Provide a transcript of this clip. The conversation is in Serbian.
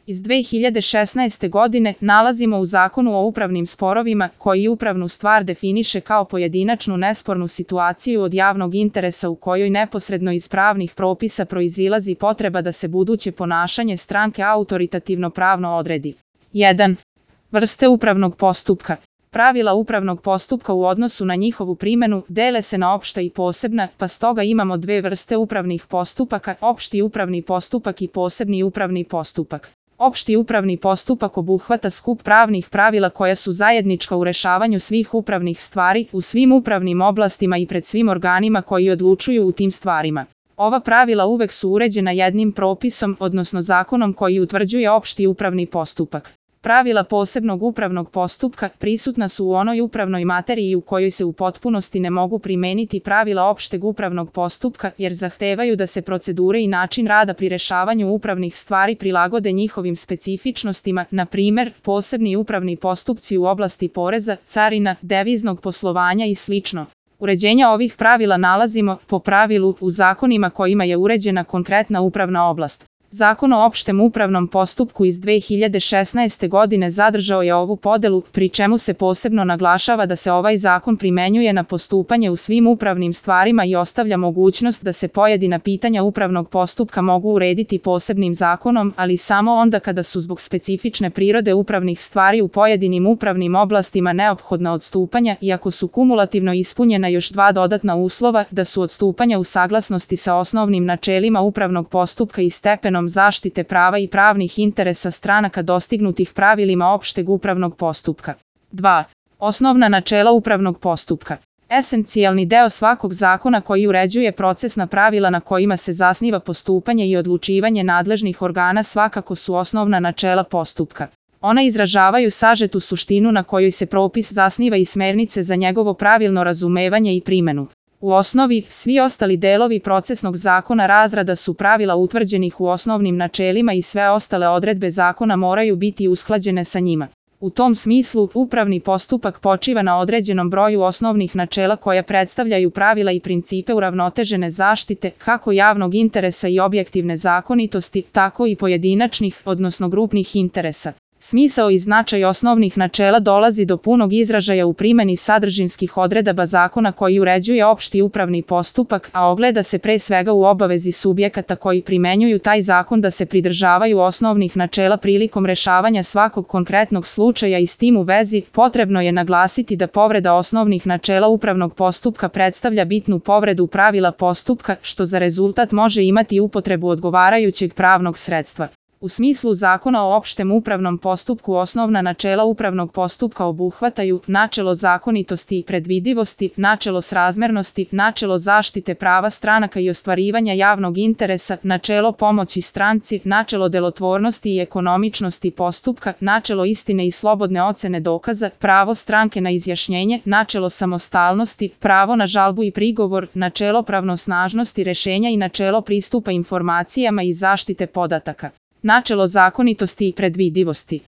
iz 2016. godine nalazimo u Zakonu o upravnim sporovima, koji upravnu stvar definiše kao pojedinačnu nespornu situaciju od javnog interesa u kojoj neposredno iz pravnih propisa proizilazi potreba da se buduće ponašanje stranke autoritativno pravno odredi. 1. Vrste upravnog postupka. Pravila upravnog postupka u odnosu na njihovu primjenu dele se na opšta i posebna, pa stoga imamo dve vrste upravnih postupaka, opšti upravni postupak i posebni upravni postupak. Opšti upravni postupak obuhvata skup pravnih pravila koja su zajednička u rešavanju svih upravnih stvari, u svim upravnim oblastima i pred svim organima koji odlučuju u tim stvarima. Ova pravila uvek su uređena jednim propisom, odnosno zakonom koji utvrđuje opšti upravni postupak. Pravila posebnog upravnog postupka prisutna su u onoj upravnoj materiji u kojoj se u potpunosti ne mogu primeniti pravila opšteg upravnog postupka, jer zahtevaju da se procedure i način rada pri rešavanju upravnih stvari prilagode njihovim specifičnostima, na primer, posebni upravni postupci u oblasti poreza, carina, deviznog poslovanja i sl. Uređenja ovih pravila nalazimo, po pravilu, u zakonima kojima je uređena konkretna upravna oblast. Zakon o opštem upravnom postupku iz 2016. godine zadržao je ovu podelu, pri čemu se posebno naglašava da se ovaj zakon primenjuje na postupanje u svim upravnim stvarima i ostavlja mogućnost da se pojedina pitanja upravnog postupka mogu urediti posebnim zakonom, ali samo onda kada su zbog specifične prirode upravnih stvari u pojedinim upravnim oblastima neophodna odstupanja i ako su kumulativno ispunjena još dva dodatna uslova, da su odstupanja u saglasnosti sa osnovnim načelima upravnog postupka i stepenom zaštite prava i pravnih interesa stranaka dostignutih pravilima opšteg upravnog postupka. 2. Osnovna načela upravnog postupka. Esencijalni deo svakog zakona koji uređuje procesna pravila na kojima se zasniva postupanje i odlučivanje nadležnih organa svakako su osnovna načela postupka. Ona izražavaju sažetu suštinu na kojoj se propis zasniva i smernice za njegovo pravilno razumevanje i primjenu. U osnovi, svi ostali delovi procesnog zakona razrada su pravila utvrđenih u osnovnim načelima i sve ostale odredbe zakona moraju biti usklađene sa njima. U tom smislu, upravni postupak počiva na određenom broju osnovnih načela koja predstavljaju pravila i principe uravnotežene zaštite, kako javnog interesa i objektivne zakonitosti, tako i pojedinačnih, odnosno grupnih interesa. Smisao i značaj osnovnih načela dolazi do punog izražaja u primjeni sadržinskih odredaba zakona koji uređuje opšti upravni postupak, a ogleda se pre svega u obavezi subjekata koji primenjuju taj zakon da se pridržavaju osnovnih načela prilikom rešavanja svakog konkretnog slučaja i s tim u vezi potrebno je naglasiti da povreda osnovnih načela upravnog postupka predstavlja bitnu povredu pravila postupka, što za rezultat može imati upotrebu odgovarajućeg pravnog sredstva. U smislu Zakona o opštem upravnom postupku osnovna načela upravnog postupka obuhvataju načelo zakonitosti i predvidivosti, načelo srazmernosti, načelo zaštite prava stranaka i ostvarivanja javnog interesa, načelo pomoći stranci, načelo delotvornosti i ekonomičnosti postupka, načelo istine i slobodne ocene dokaza, pravo stranke na izjašnjenje, načelo samostalnosti, pravo na žalbu i prigovor, načelo pravnosnažnosti rešenja i načelo pristupa informacijama i zaštite podataka. Načelo zakonitosti i predvidivosti.